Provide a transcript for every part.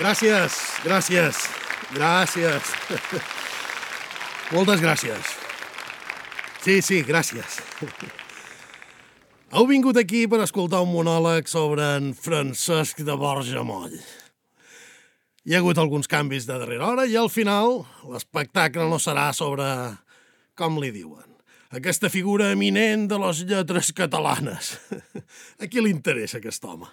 Gràcies. Moltes gràcies. Sí, gràcies. Heu vingut aquí per escoltar un monòleg sobre en Francesc de Borja Moll. Hi ha hagut alguns canvis de darrera hora i al final l'espectacle no serà sobre, com li diuen, aquesta figura eminent de les lletres catalanes. A qui li interessa aquest home?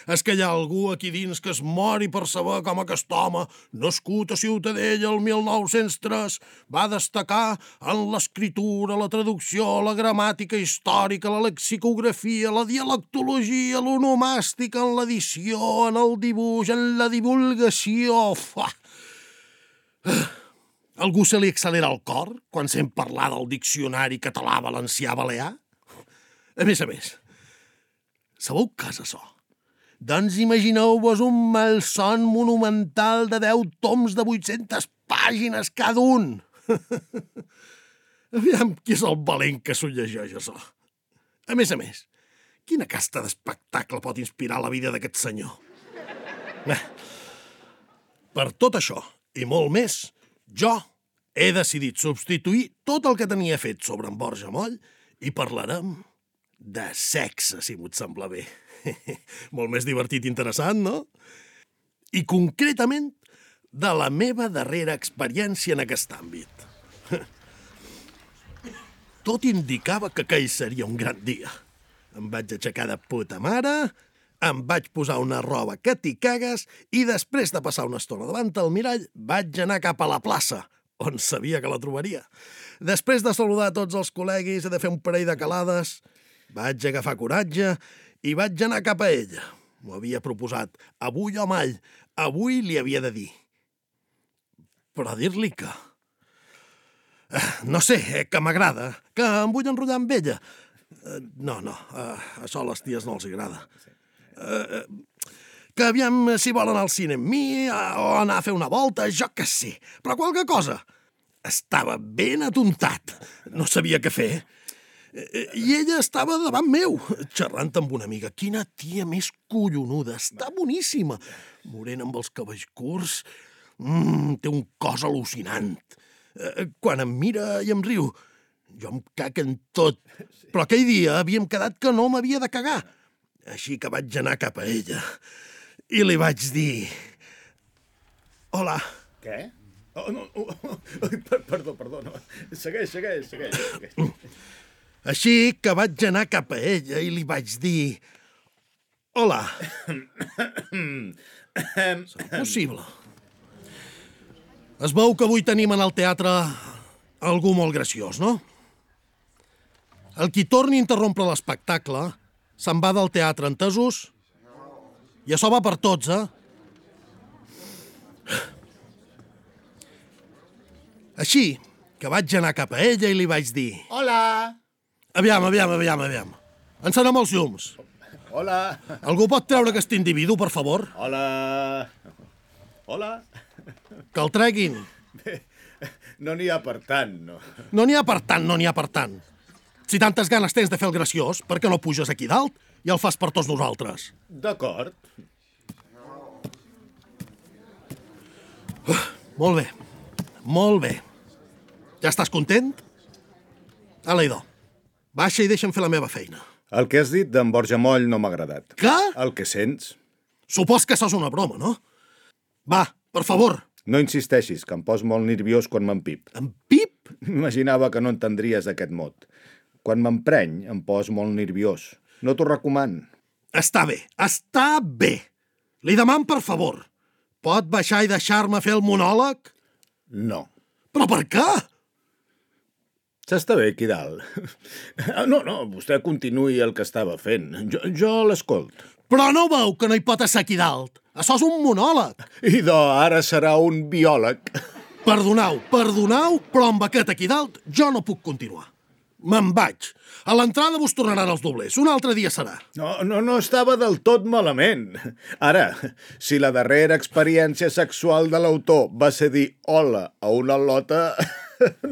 És que hi ha algú aquí dins que es mori per saber com aquest home, nascut a Ciutadella el 1903, va destacar en l'escriptura, la traducció, la gramàtica històrica, la lexicografia, la dialectologia, l'onomàstica, en l'edició, en el dibuix, en la divulgació. Algú se li accelera el cor quan sent parlar del diccionari català-valencià-balear? A més, sabeu què és això? Doncs imagineu-vos un malson monumental de 10 toms de 800 pàgines cada un. Aviam qui és el valent que s'ho llegeix, això. A més, quina casta d'espectacle pot inspirar la vida d'aquest senyor? Per tot això, i molt més, jo he decidit substituir tot el que tenia fet sobre en Borja Moll i parlarem de sexe, si m'ho sembla bé. Molt més divertit i interessant, no? I concretament de la meva darrera experiència en aquest àmbit. Tot indicava que aquell seria un gran dia. Em vaig aixecar de puta mare, em vaig posar una roba que t'hi cagues i després de passar una estona davant del mirall vaig anar cap a la plaça, on sabia que la trobaria. Després de saludar tots els col·leguis i de fer un parell de calades, vaig agafar coratge i vaig anar cap a ella. M'ho havia proposat. Avui o mai. Avui li havia de dir. Però dir-li que... No sé, que m'agrada, que em vull enrotllar amb ella. No, això a les ties no els agrada. Que aviam si volen anar al cine amb mi o anar a fer una volta, jo que sé. Però qualque cosa. Estava ben atontat. No sabia què fer. I ella estava davant meu, xerrant amb una amiga. Quina tia més collonuda, està boníssima. Morena amb els cabells curts, té un cos al·lucinant. Quan em mira i em riu, jo em cac en tot. Però aquell dia havíem quedat que no m'havia de cagar. Així que vaig anar cap a ella i li vaig dir... Hola. Què? Oh, no. Perdó. No. Segueix. Així que vaig anar cap a ella i li vaig dir... Hola. Serà possible. Es veu que avui tenim en el teatre algú molt graciós, no? El qui torni a interrompre l'espectacle se'n va del teatre, entesos? I això va per tots, Així que vaig anar cap a ella i li vaig dir... Hola. Aviam. Encenem els llums. Hola. Algú pot treure aquest individu, per favor? Hola. Que el treguin. Bé, no n'hi ha per tant, no. No n'hi ha per tant. Si tantes ganes tens de fer el graciós, per què no puges aquí dalt i el fas per tots nosaltres? D'acord. Molt bé. Ja estàs content? Aleidò, baixa i deixa'm fer la meva feina. El que has dit d'en Borja Moll no m'ha agradat. Què? El que sents. Supos que això és una broma, no? Va, per favor. No insisteixis, que em pos molt nerviós quan m'empip. Empip? Imaginava que no entendries aquest mot. Quan m'empreny, em pos molt nerviós. No t'ho recomano. Està bé. Li deman, per favor. Pot baixar i deixar-me fer el monòleg? No. Però per què? S'està bé aquí dalt. No, vostè continuï el que estava fent. Jo l'escolt. Però no veu que no hi pot estar aquí dalt? Això és un monòleg. Idò, ara serà un biòleg. Perdoneu, però amb aquest aquí dalt jo no puc continuar. Me'n vaig. A l'entrada vos tornaran els doblers. Un altre dia serà. No estava del tot malament. Ara, si la darrera experiència sexual de l'autor va ser dir hola a una lota...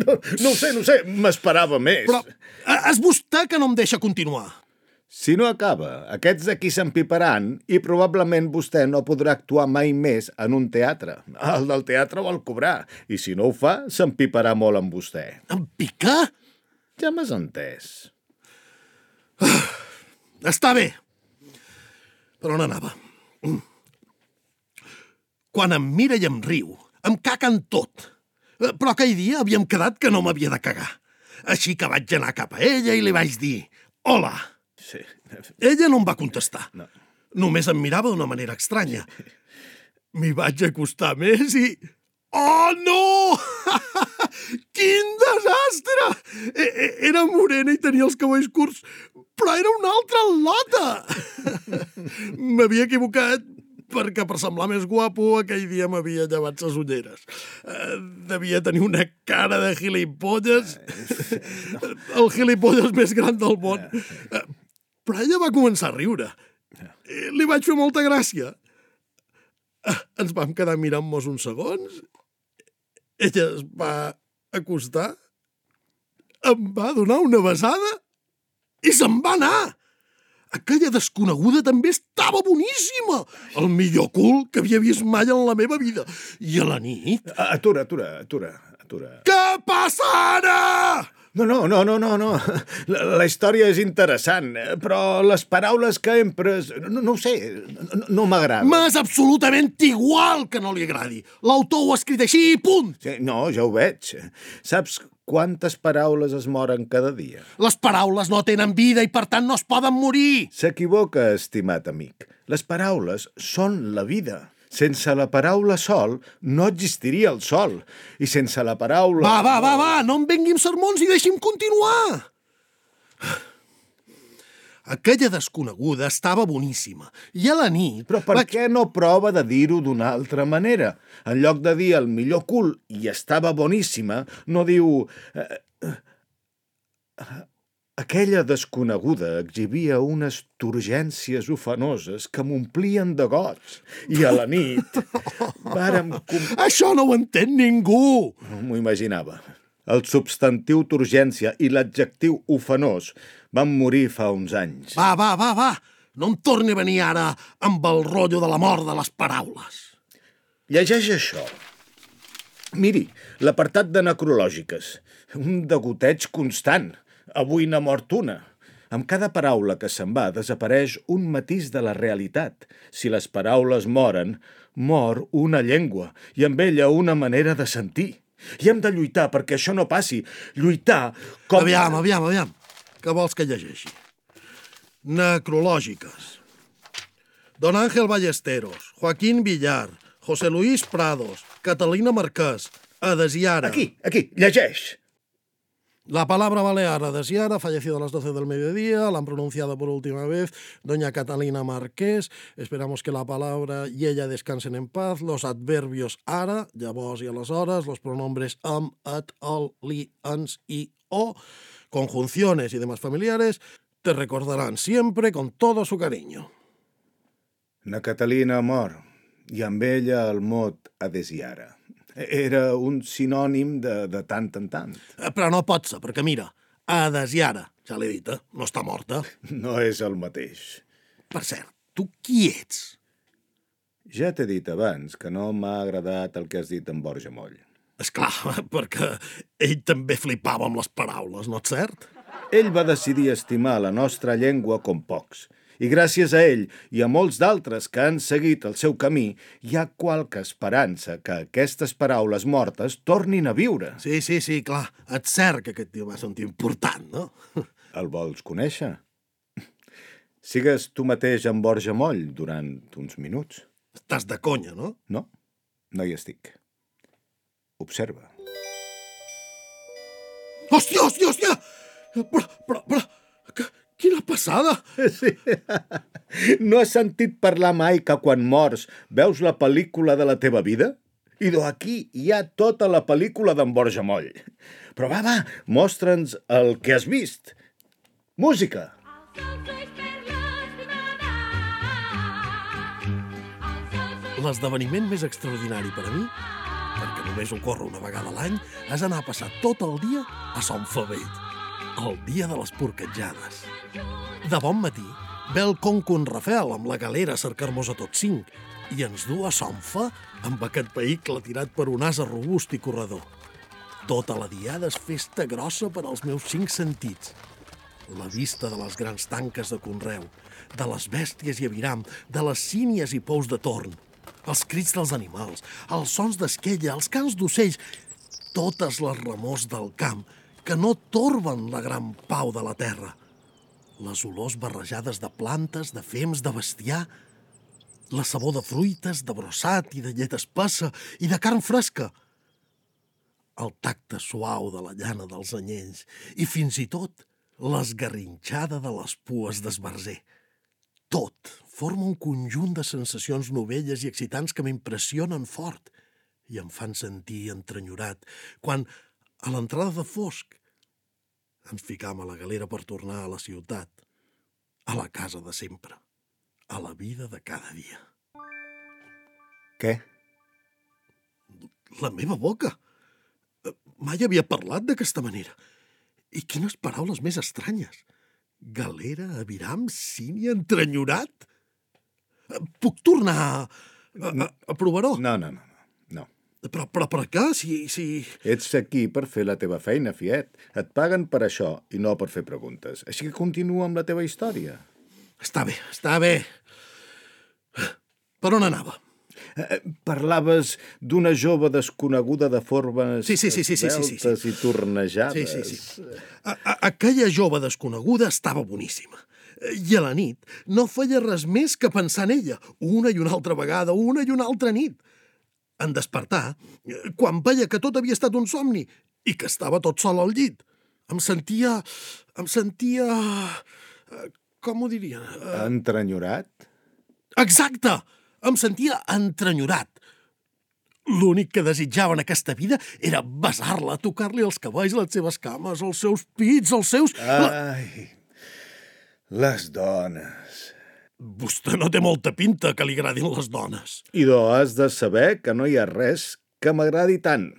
No ho sé, m'esperava més. Però és vostè que no em deixa continuar. Si no acaba, aquests d'aquí s'empiparan i probablement vostè no podrà actuar mai més en un teatre. El del teatre vol cobrar, i si no ho fa, s'empiparà molt amb vostè. Em pica? Ja m'has entès. Està bé. Per on anava? Quan em mira i em riu, em caca en tot. Però aquell dia havíem quedat que no m'havia de cagar. Així que vaig anar cap a ella i li vaig dir «Hola». Sí. Ella no em va contestar. No. Només em mirava d'una manera estranya. M'hi vaig acostar més i... Oh, no! Quin desastre! Era morena i tenia els cabells curts, però era una altra lota! M'havia equivocat perquè per semblar més guapo aquell dia m'havia llevat les ulleres. Devia tenir una cara de gilipolles, el gilipolles més gran del món. Però ella va començar a riure. Li vaig fer molta gràcia. Ens vam quedar mirant-nos uns segons. Ella es va acostar, em va donar una besada i se'n va anar. Aquella desconeguda també estava boníssima. El millor cul que havia vist mai en la meva vida. I a la nit... Atura. Què passa ara? No. La història és interessant, però les paraules que empres... No ho sé, no m'agrada. M'és absolutament igual que no li agradi. L'autor ho ha escrit així i punt. Sí, no, ja ho veig. Saps quantes paraules es moren cada dia? Les paraules no tenen vida i per tant no es poden morir. S'equivoca, estimat amic. Les paraules són la vida. Sense la paraula sol no existiria el sol. I sense la paraula... Va, no em vengui amb sermons i deixi'm continuar. Aquella desconeguda estava boníssima. I a la nit... Però per què no prova de dir-ho d'una altra manera? En lloc de dir el millor cul i estava boníssima, no diu... Aquella desconeguda exhibia unes turgències ofenoses que m'omplien de goig. I a la nit vàrem... Això no ho entén ningú! M'ho imaginava. El substantiu turgència i l'adjectiu ofenós van morir fa uns anys. Va. No em torni a venir ara amb el rotllo de la mort de les paraules. Llegeix això. Miri, l'apartat de necrològiques. Un degoteig constant. Avui n'ha mort una. Amb cada paraula que se'n va desapareix un matís de la realitat. Si les paraules moren, mor una llengua i amb ella una manera de sentir. I hem de lluitar perquè això no passi. Lluitar com... Aviam. Què vols que llegeixi? Necrològiques. Don Ángel Ballesteros, Joaquín Villar, José Luis Prados, Catalina Marqués, Adesiara. Aquí, llegeix. La palabra balear Adesiara, fallecido a las 12 del mediodía, la han pronunciado por última vez doña Catalina Marqués. Esperamos que la palabra y ella descansen en paz. Los adverbios ara, llavors i aleshores, los pronombres am, et, el, li, ens i o, conjunciones y demás familiares, te recordarán siempre con todo su cariño. Na Catalina mor, i amb ella el mot Adesiara. Era un sinònim de tant en tant. Però no pot ser, perquè mira, Adesiara, ja l'he dit, no està morta. No és el mateix. Per cert, tu qui ets? Ja t'he dit abans que no m'ha agradat el que has dit en Borja Moll. Esclar, perquè ell també flipava amb les paraules, no és cert? Ell va decidir estimar la nostra llengua com pocs. I gràcies a ell i a molts d'altres que han seguit el seu camí, hi ha qualque esperança que aquestes paraules mortes tornin a viure. Sí, clar. És cert que aquest tio va ser un tio important, no? El vols conèixer? Sigues tu mateix en Borja Moll durant uns minuts. Estàs de conya, no? No hi estic. Observa. Hòstia! Però... Quina passada! Sí. No has sentit parlar mai que quan mors veus la pel·lícula de la teva vida? I aquí hi ha tota la pel·lícula d'en Borja Moll. Però va, mostra'ns el que has vist. Música! L'esdeveniment més extraordinari per a mi, perquè només ocorre una vegada a l'any, és anar a passar tot el dia a Son Favet. el dia de les porquetjades. De bon matí, ve el conco en Rafel amb la galera a cercar-nos a tots 5 i ens du a Sonfa amb aquest vehicle tirat per un ase robust i corredor. Tota la diada és festa grossa per als meus 5 sentits. La vista de les grans tanques de conreu, de les bèsties i aviram, de les sínies i pous de torn, els crits dels animals, els sons d'esquella, els cants d'ocells, totes les remors del camp que no torben la gran pau de la terra. Les olors barrejades de plantes, de fems, de bestiar, la sabor de fruites, de brossat i de llet espessa i de carn fresca, el tacte suau de la llana dels anyells i fins i tot l'esgarrinxada de les pues d'esbarzer. Tot forma un conjunt de sensacions novelles i excitants que m'impressionen fort i em fan sentir entrenyorat quan, a l'entrada de fosc, ens ficam a la galera per tornar a la ciutat, a la casa de sempre, a la vida de cada dia. Què? La meva boca! Mai havia parlat d'aquesta manera. I quines paraules més estranyes. Galera, aviram, cini, entrenyorat? Puc tornar a provar-ho? No. Però per què? Si... Ets aquí per fer la teva feina, fiet. Et paguen per això i no per fer preguntes. Així que continua amb la teva història. Està bé. Per on anava? Parlaves d'una jove desconeguda de formes Sí. esveltes i tornejades. Sí. Aquella jove desconeguda estava boníssima. I a la nit no feia res més que pensar en ella, una i una altra vegada, una i una altra nit. En despertar, quan veia que tot havia estat un somni i que estava tot sol al llit, em sentia... com ho diria? Entrenyorat? Exacte! Em sentia entrenyorat. L'únic que desitjava en aquesta vida era besar-la, tocar-li els cabells, les seves cames, els seus pits, els seus... Ai, les dones. Vostè no té molta pinta que li agradin les dones. Idò, has de saber que no hi ha res que m'agradi tant.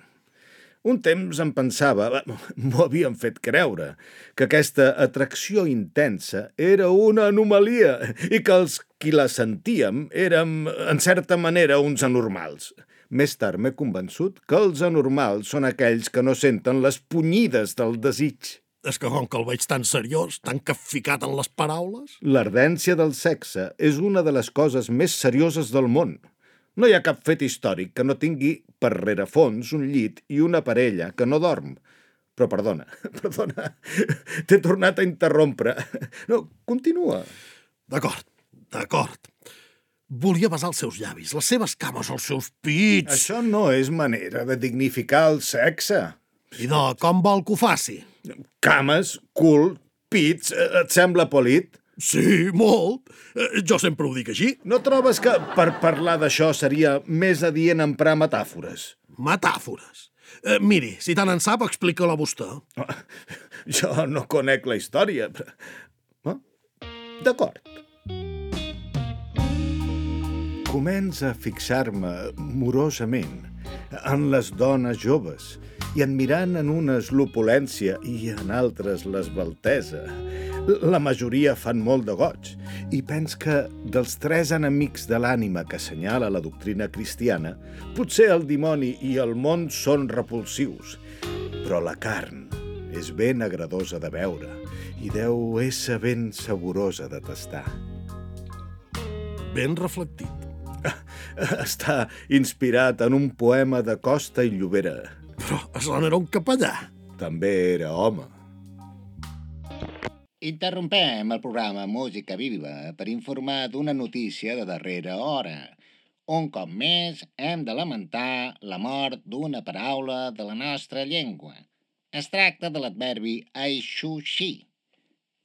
Un temps em pensava, m'ho havien fet creure, que aquesta atracció intensa era una anomalia i que els qui la sentíem érem, en certa manera, uns anormals. Més tard m'he convençut que els anormals són aquells que no senten les punyides del desig. És que com que el veig tan seriós, tan capficat en les paraules... L'ardència del sexe és una de les coses més serioses del món. No hi ha cap fet històric que no tingui per rerefons un llit i una parella que no dorm. Però perdona, t'he tornat a interrompre. No, continua. D'acord. Volia besar els seus llavis, les seves cames, els seus pits... Això no és manera de dignificar el sexe. I com vol que ho faci? Cames, cul, pits, et sembla polit? Sí, molt. Jo sempre ho dic així. No trobes que per parlar d'això seria més adient emprar metàfores? Metàfores? Miri, si tant en sap, explica-la vostè. Jo no conec la història. D'acord. Comença a fixar-me morosament en les dones joves i admirant en unes l'opulència i en altres l'esbaltesa. La majoria fan molt de goig i pens que dels 3 enemics de l'ànima que assenyala la doctrina cristiana, potser el dimoni i el món són repulsius, però la carn és ben agradosa de veure i deu ésser ben saborosa de tastar. Ben reflectit. Està inspirat en un poema de Costa i Llobera. Però això no era un capellà. També era home. Interrompem el programa Música Viva per informar d'una notícia de darrera hora. Un cop més hem de lamentar la mort d'una paraula de la nostra llengua. Es tracta de l'adverbi aixuixir.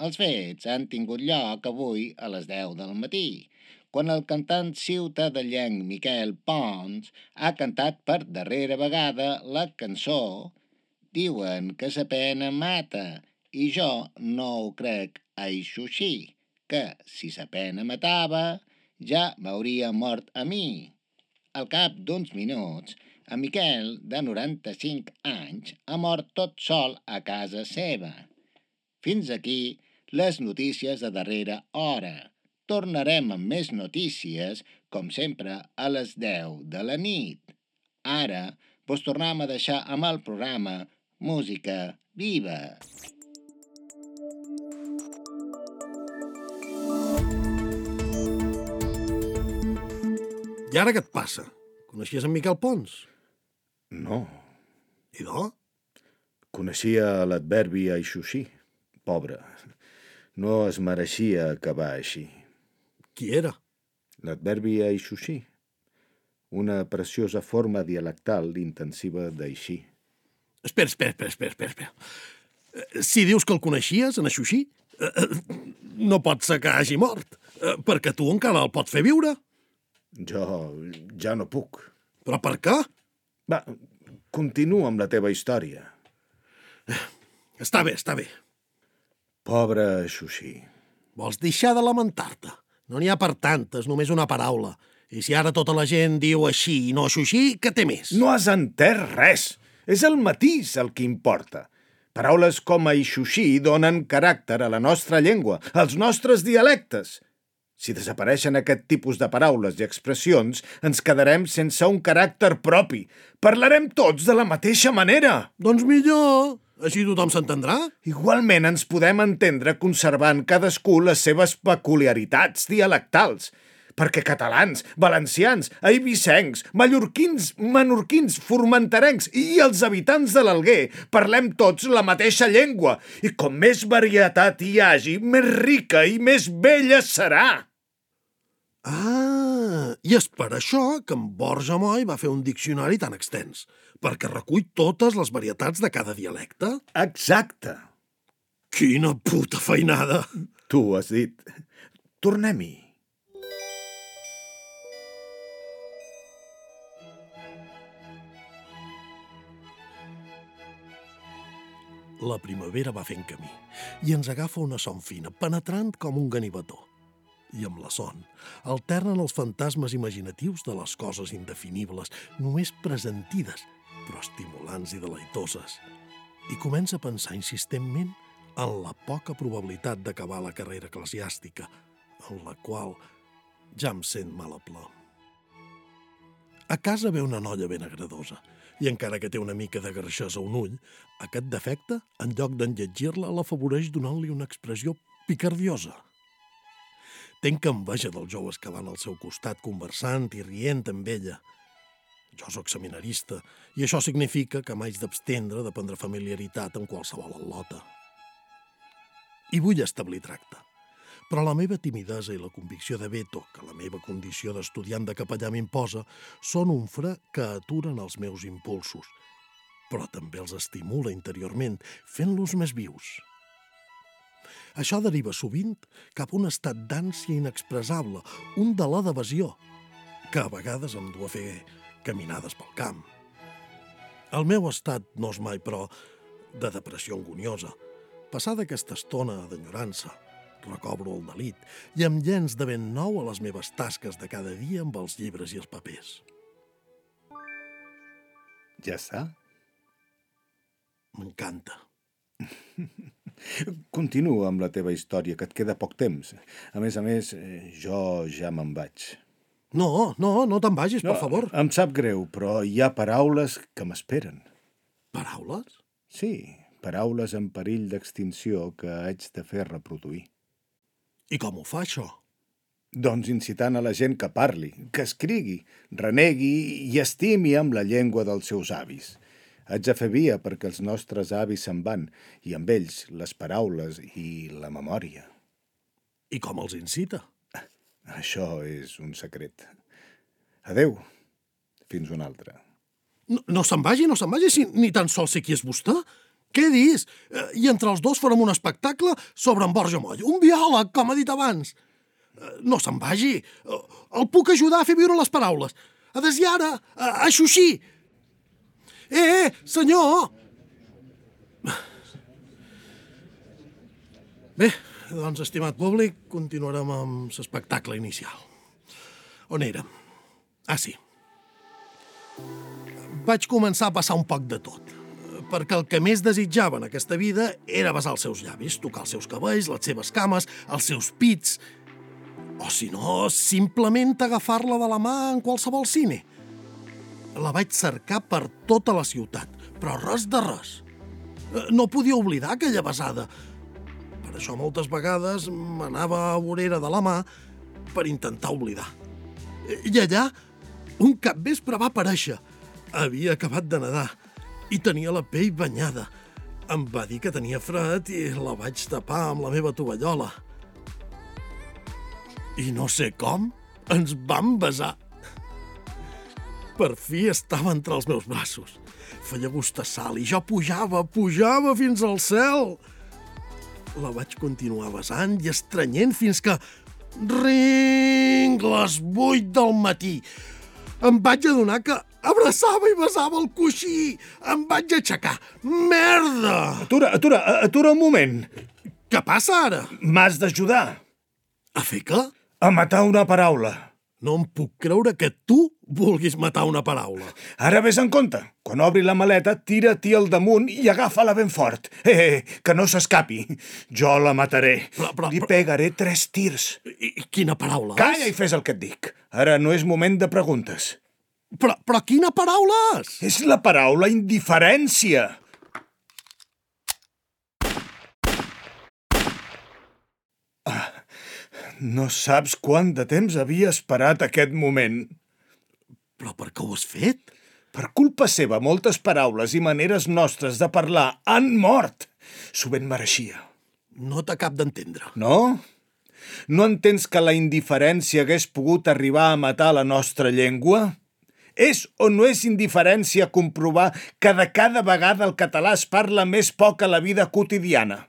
Els fets han tingut lloc avui a les 10 del matí, quan el cantant ciutadellenc Miquel Pons ha cantat per darrera vegada la cançó Diuen que sa pena mata, i jo no ho crec així, que si sa pena matava ja m'hauria mort a mi. Al cap d'uns minuts, en Miquel, de 95 anys, ha mort tot sol a casa seva. Fins aquí les notícies de darrera hora. Tornarem amb més notícies, com sempre, a les 10 de la nit. Ara, vos tornem a deixar amb el programa Música Viva. I ara què et passa? Coneixies en Miquel Pons? No, I do? coneixia l'adverbi aixuixí. Pobre, no es mereixia acabar així. Qui era? L'adverbi aixuixí, una preciosa forma dialectal intensiva d'així. Espera. Si dius que el coneixies, en Aixuixí, no pot ser que hagi mort, perquè tu encara el pots fer viure. Jo ja no puc. Però per què? Va, continua amb la teva història. Està bé. Pobre aixuixí. Vols deixar de lamentar-te? No n'hi ha per tantes, només una paraula. I si ara tota la gent diu així i no Aixuixí, què té més? No has entès res. És el matís el que importa. Paraules com aixuixí donen caràcter a la nostra llengua, als nostres dialectes. Si desapareixen aquest tipus de paraules i expressions, ens quedarem sense un caràcter propi. Parlarem tots de la mateixa manera. Doncs millor, així tothom s'entendrà. Igualment ens podem entendre conservant cadascú les seves peculiaritats dialectals. Perquè catalans, valencians, eivissencs, mallorquins, menorquins, formenterencs i els habitants de l'Alguer parlem tots la mateixa llengua i com més varietat hi hagi, més rica i més bella serà. I és per això que en Borja Moll va fer un diccionari tan extens, perquè recull totes les varietats de cada dialecte. Exacte. Quina puta feinada! Tu ho has dit. Tornem-hi. La primavera va fent camí i ens agafa una son fina, penetrant com un ganivetó. I amb la son alternen els fantasmes imaginatius de les coses indefinibles, només presentides, però estimulants i deleitoses. I comença a pensar insistentment en la poca probabilitat d'acabar la carrera eclesiàstica, en la qual ja em sent mal a plom. A casa ve una noia ben agradosa, i encara que té una mica de garxesa a un ull, aquest defecte, en lloc d'enlletgir-la, l'afavoreix donant-li una expressió picardiosa. Tenc enveja dels joves que van al seu costat conversant i rient amb ella. Jo sóc seminarista i això significa que m'haig d'abstendre de prendre familiaritat amb qualsevol al·lota. I vull establir tracte. Però la meva timidesa i la convicció de veto que la meva condició d'estudiant de capellà m'imposa són un fre que aturen els meus impulsos, però també els estimula interiorment, fent-los més vius. Això deriva sovint cap a un estat d'ànsia inexpressable, un delà d'evasió, que a vegades em du a fer caminades pel camp. El meu estat no és mai, però, de depressió angoniosa. Passada aquesta estona d'enyorança, recobro el delit i em llenç de ben nou a les meves tasques de cada dia amb els llibres i els papers. Ja està? M'encanta. Continua amb la teva història, que et queda poc temps. A més, jo ja me'n vaig. No te'n vagis, per favor. Em sap greu, però hi ha paraules que m'esperen. Paraules? Sí, paraules en perill d'extinció que haig de fer reproduir. I com ho fa, això? Doncs incitant a la gent que parli, que escrigui, renegui i estimi amb la llengua dels seus avis. Haig de fer via perquè els nostres avis se'n van, i amb ells les paraules i la memòria. I com els incita? Això és un secret. Adeu. Fins una altra. No se'n vagi, si ni tan sols sé qui és vostè. Què dis? I entre els dos farem un espectacle sobre en Borja Moll. Un biòleg, com ha dit abans. No se'n vagi. El puc ajudar a fer viure les paraules. A desllare, a xuxir. Senyor! Bé, doncs, estimat públic, continuarem amb l'espectacle inicial. On érem? Sí. Vaig començar a passar un poc de tot. perquè el que més desitjava en aquesta vida era besar els seus llavis, tocar els seus cabells, les seves cames, els seus pits, o si no, simplement agafar-la de la mà en qualsevol cine. La vaig cercar per tota la ciutat, però res de res. No podia oblidar aquella besada. Per això moltes vegades m'anava a vorera de la mà per intentar oblidar. I allà, un capvespre va aparèixer. Havia acabat de nedar i tenia la pell banyada. Em va dir que tenia fred i la vaig tapar amb la meva tovallola. I no sé com, ens vam besar. Per fi estava entre els meus braços. Feia gust a sal i jo pujava fins al cel. La vaig continuar besant i estrenyent fins que... Ring! Les 8 del matí. Em vaig adonar que abraçava i besava el coixí. Em vaig aixecar. Merda! Atura un moment. Què passa ara? M'has d'ajudar. A fer què? A matar una paraula. No em puc creure que tu vulguis matar una paraula. Ara vés en compte. Quan obri la maleta, tira-t'hi al damunt i agafa-la ben fort. Que no s'escapi. Jo la mataré. Li pegaré 3 tirs. I quina paraula és? Calla i fes el que et dic. Ara no és moment de preguntes. Però quina paraula és? És la paraula indiferència. No saps quant de temps havia esperat aquest moment. Però per què ho has fet? Per culpa seva, moltes paraules i maneres nostres de parlar han mort. S'ho ben mereixia. No t'acab d'entendre. No? No entens que la indiferència hagués pogut arribar a matar la nostra llengua? És o no és indiferència comprovar que de cada vegada el català es parla més poc a la vida quotidiana?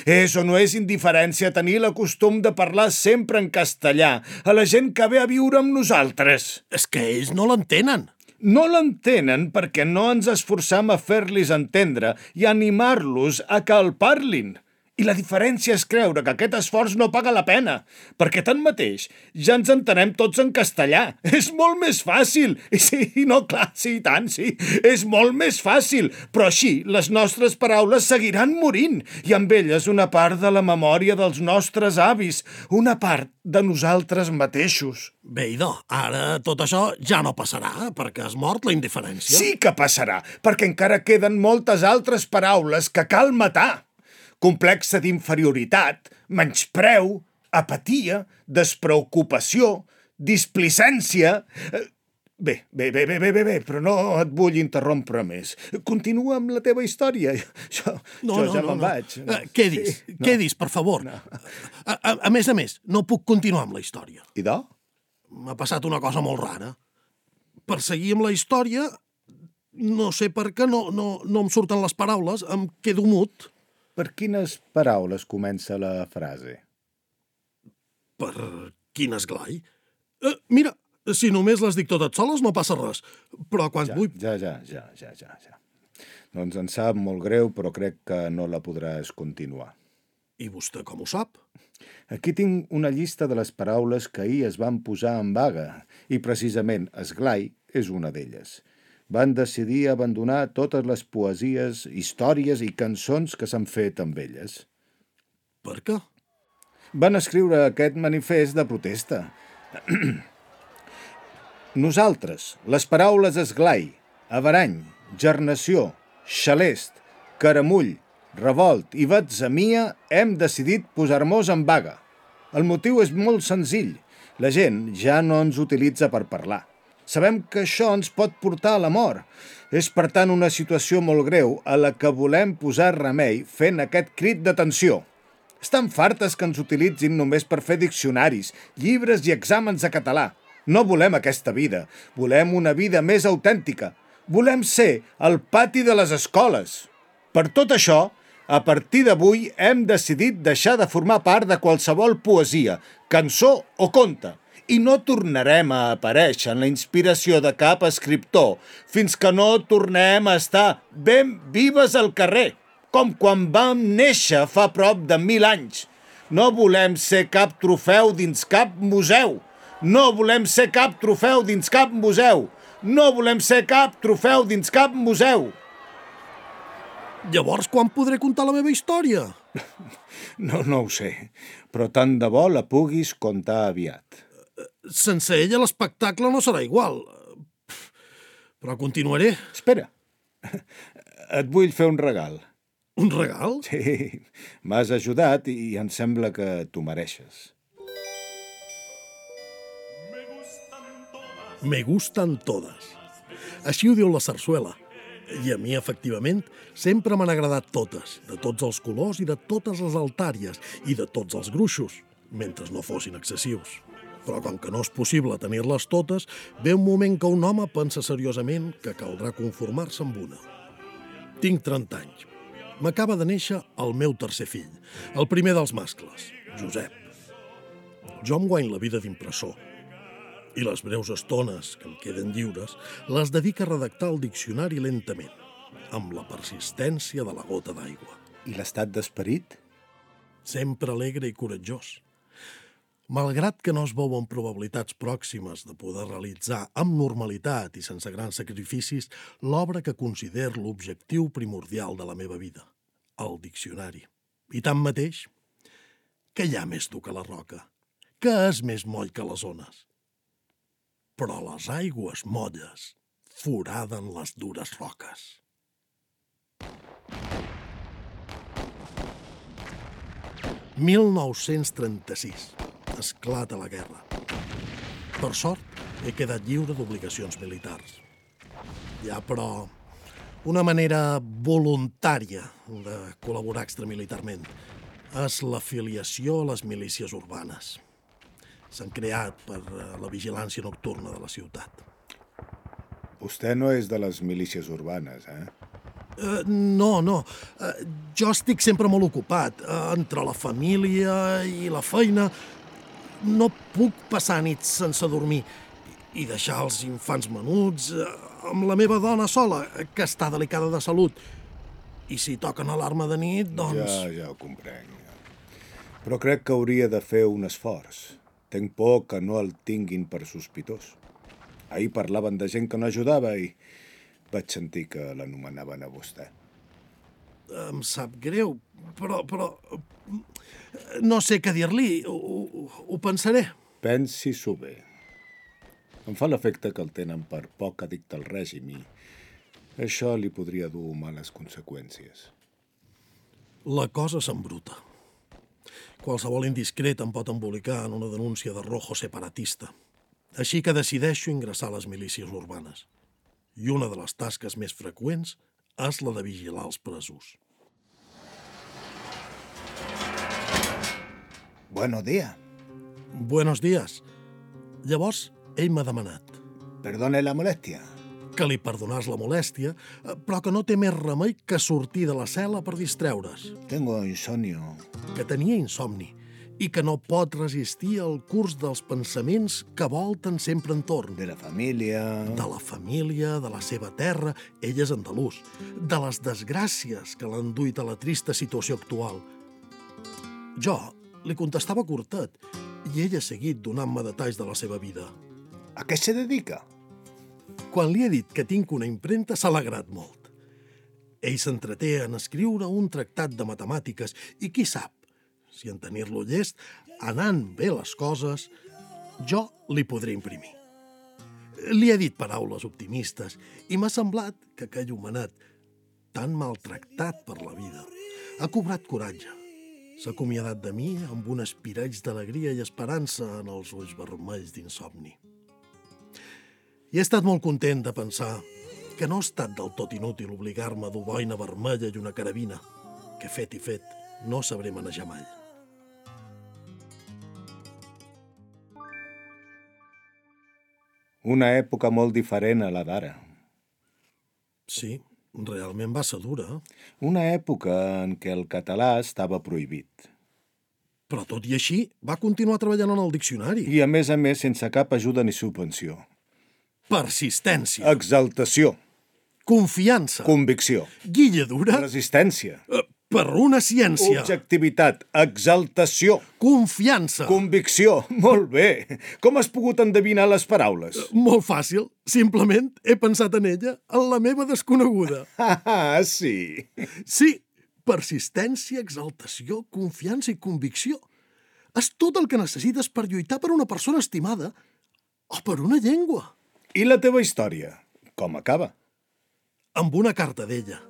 És o no és indiferència tenir el costum de parlar sempre en castellà a la gent que ve a viure amb nosaltres? És que ells no l'entenen. No l'entenen perquè no ens esforçam a fer-los entendre i animar-los a que el parlin. I la diferència és creure que aquest esforç no paga la pena, perquè tanmateix ja ens entenem tots en castellà. És molt més fàcil. Sí, no, clar, sí, tant, sí. És molt més fàcil. Però així, les nostres paraules seguiran morint i amb elles una part de la memòria dels nostres avis, una part de nosaltres mateixos. Bé, idò, ara tot això ja no passarà, perquè has mort la indiferència. Sí que passarà, perquè encara queden moltes altres paraules que cal matar. Complexa d'inferioritat, menyspreu, apatia, despreocupació, displicència... Bé, però no et vull interrompre més. Continua amb la teva història. Jo ja me'n vaig. Què dis, per favor? No. A més, no puc continuar amb la història. Idò? M'ha passat una cosa molt rara. Per seguir amb la història, no sé per què no em surten les paraules, em quedo mut. Per quines paraules comença la frase? Per quin esglai? Mira, si només les dic totes soles no passa res, però quan vull... Ja. Doncs em sap molt greu, però crec que no la podràs continuar. I vostè com ho sap? Aquí tinc una llista de les paraules que ahir es van posar en vaga, i precisament esglai és una d'elles. Van decidir abandonar totes les poesies, històries i cançons que s'han fet amb elles. Per què? Van escriure aquest manifest de protesta. Nosaltres, les paraules esglai, averany, gernació, xalest, caramull, revolt i batzemia, hem decidit posar-nos en vaga. El motiu és molt senzill. La gent ja no ens utilitza per parlar. Sabem que això ens pot portar a la mort. És, per tant, una situació molt greu a la que volem posar remei fent aquest crit d'atenció. Estan fartes que ens utilitzin només per fer diccionaris, llibres i exàmens de català. No volem aquesta vida. Volem una vida més autèntica. Volem ser el pati de les escoles. Per tot això, a partir d'avui hem decidit deixar de formar part de qualsevol poesia, cançó o conte. I no tornarem a aparèixer en la inspiració de cap escriptor fins que no tornem a estar ben vives al carrer, com quan vam néixer fa prop de 1000 anys. No volem ser cap trofeu dins cap museu. No volem ser cap trofeu dins cap museu. No volem ser cap trofeu dins cap museu. Llavors, quan podré contar la meva història? No ho sé, però tant de bo la puguis contar aviat. Sense ella l'espectacle no serà igual. Però continuaré. Espera, et vull fer un regal. Un regal? Sí, m'has ajudat i em sembla que t'ho mereixes. Me gustan todas. Així ho diu la sarsuela. I a mi, efectivament, sempre m'han agradat totes, de tots els colors i de totes les altàries, i de tots els gruixos, mentre no fossin excessius. Però com que no és possible tenir-les totes, ve un moment que un home pensa seriosament que caldrà conformar-se amb una. Tinc 30 anys. M'acaba de néixer el meu tercer fill, el primer dels mascles, Josep. Jo em guany la vida d'impressor, i les breus estones que em queden lliures les dedica a redactar el diccionari lentament, amb la persistència de la gota d'aigua. I l'estat d'esperit? Sempre alegre i coratjós. Malgrat que no es veuen probabilitats pròximes de poder realitzar amb normalitat i sense grans sacrificis l'obra que considero l'objectiu primordial de la meva vida, el diccionari. I tanmateix, què hi ha més dur que la roca? Què és més moll que les ones? Però les aigües molles foraden les dures roques. «1936. Esclata la guerra. Per sort, he quedat lliure d'obligacions militars. Hi ha, però, una manera voluntària de col·laborar extramilitarment. És l'afiliació a les milícies urbanes. S'han creat per la vigilància nocturna de la ciutat. Vostè no és de les milícies urbanes, eh? No. Jo estic sempre molt ocupat. Entre la família i la feina no puc passar nits sense dormir i deixar els infants menuts amb la meva dona sola, que està delicada de salut. I si toquen alarma de nit, doncs... Ja ho comprenc. Però crec que hauria de fer un esforç. Tenc por que no el tinguin per sospitós. Ahir parlaven de gent que no ajudava i vaig sentir que l'anomenaven a vostè. Em sap greu, però no sé què dir-li. Ho pensaré. Pensi-s'ho bé. Em fa l'efecte que el tenen per poc addicte al règim i això li podria dur males conseqüències. La cosa s'embruta. Qualsevol indiscret em pot embolicar en una denúncia de rojo separatista. Així que decideixo ingressar a les milícies urbanes. I una de les tasques més freqüents és la de vigilar els presos. Buenos días. Buenos días. Llavors, ell m'ha demanat Perdone la molèstia. que li perdonàs la molèstia, però que no té més remei que sortir de la cel·la per distreure's, Tengo insomnio. que tenia insomni i que no pot resistir al curs dels pensaments que volten sempre entorn. De la família... De la família, de la seva terra, ell és andalús, de les desgràcies que l'han duit a la trista situació actual. Jo li contestava curtet i ell ha seguit donant-me detalls de la seva vida. A què se dedica? Quan li he dit que tinc una impremta, s'ha alegrat molt. Ell s'entreté en escriure un tractat de matemàtiques i qui sap, si en tenir-lo llest, anant bé les coses, jo li podré imprimir. Li he dit paraules optimistes i m'ha semblat que aquell homenet, tan maltractat per la vida, ha cobrat coratge. S'ha acomiadat de mi amb un espireig d'alegria i esperança en els ulls vermells d'insomni. I he estat molt content de pensar que no ha estat del tot inútil obligar-me a dur boina vermella i una carabina, que fet i fet no sabré manejar mai. Una època molt diferent a la d'ara. Sí, realment va ser dura, Una època en què el català estava prohibit. però tot i així va continuar treballant en el diccionari. I a més, sense cap ajuda ni subvenció. Persistència, Exaltació, confiança, convicció, guilladura, resistència. Per una ciència. Objectivitat, exaltació, Confiança. convicció. Molt bé. Com has pogut endevinar les paraules? Molt fàcil. Simplement he pensat en ella, en la meva desconeguda. Ah, sí. Sí, persistència, exaltació, confiança i convicció. És tot el que necessites per lluitar per una persona estimada o per una llengua. I la teva història? Com acaba? Amb una carta d'ella.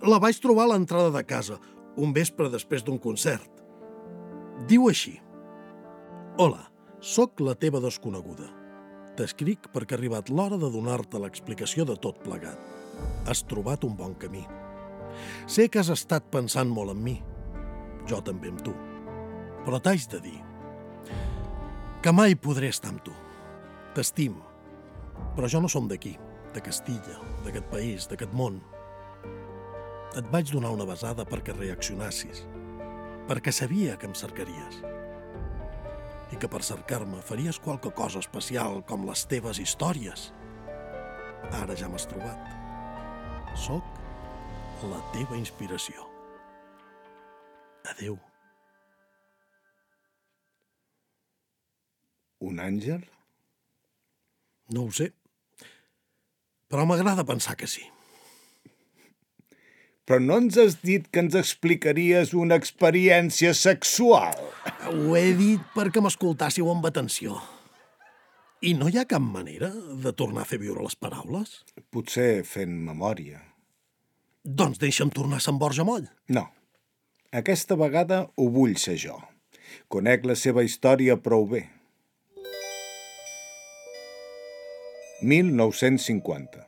La vaig trobar a l'entrada de casa, un vespre després d'un concert. Diu així: Hola, sóc la teva desconeguda. T'escric perquè ha arribat l'hora de donar-te l'explicació de tot plegat. Has trobat un bon camí. Sé que has estat pensant molt en mi. Jo també amb tu. Però t'haig de dir que mai podré estar amb tu. T'estimo. Però jo no som d'aquí, de Castilla, d'aquest país, d'aquest món. Et vaig donar una besada perquè reaccionassis, perquè sabia que em cercaries i que per cercar-me faries qualque cosa especial com les teves històries. Ara ja m'has trobat. Soc la teva inspiració. Adéu. Un àngel? No ho sé, però m'agrada pensar que sí. Però no ens has dit que ens explicaries una experiència sexual? Ho he dit perquè m'escoltàssiu amb atenció. I no hi ha cap manera de tornar a fer viure les paraules? Potser fent memòria. Doncs deixa'm tornar a Sant Borja Moll. No. Aquesta vegada ho vull ser jo. Conec la seva història prou bé. 1950.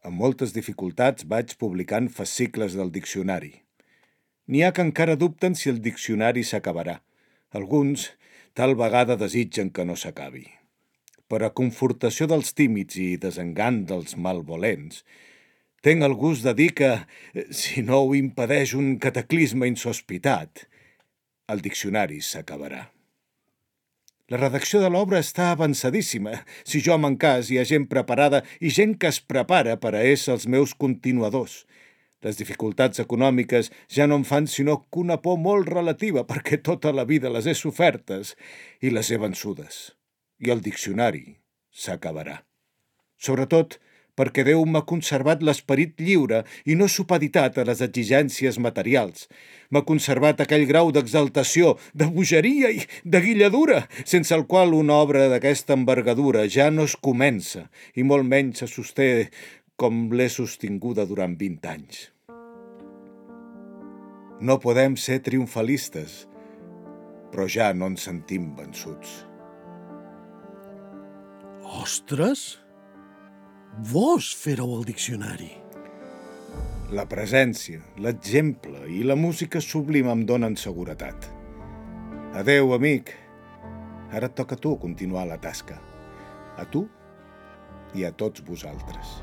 Amb moltes dificultats vaig publicant fascicles del diccionari. N'hi ha que encara dubten si el diccionari s'acabarà. Alguns tal vegada desitgen que no s'acabi. Per a confortació dels tímids i desengant dels malvolents, tenc el gust de dir que, si no ho impedeix un cataclisme insospitat, el diccionari s'acabarà. La redacció de l'obra està avançadíssima. Si jo m'encàs, hi ha gent preparada i gent que es prepara per a ésser els meus continuadors. Les dificultats econòmiques ja no em fan sinó que una por molt relativa perquè tota la vida les he sofertes i les he vençudes. I el diccionari s'acabarà. Sobretot perquè Déu m'ha conservat l'esperit lliure i no supeditat a les exigències materials. M'ha conservat aquell grau d'exaltació, de bogeria i de guilladura, sense el qual una obra d'aquesta envergadura ja no es comença i molt menys se sosté com l'he sostinguda durant 20 anys. No podem ser triomfalistes, però ja no ens sentim vençuts. Ostres! Vos féreu el diccionari. La presència, l'exemple i la música sublima em donen seguretat. Adéu, amic. Ara et toca a tu continuar la tasca. A tu i a tots vosaltres.